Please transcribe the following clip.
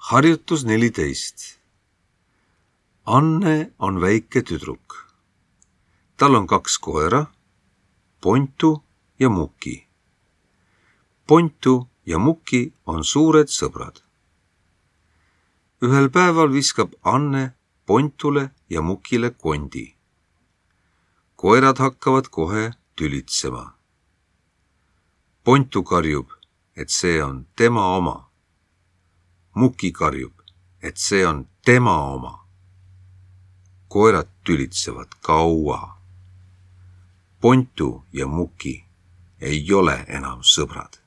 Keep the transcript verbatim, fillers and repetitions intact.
Harjutus neliteist. Anne on väike tüdruk. Tal on kaks koera, Pontu ja Muki. Pontu ja Muki on suured sõbrad. Ühel päeval viskab Anne Pontule ja Mukile kondi. Koerad hakkavad kohe tülitsema. Pontu karjub, et see on tema oma. Muki karjub, et see on tema oma. Koerad tülitsevad kaua. Pontu ja Muki ei ole enam sõbrad.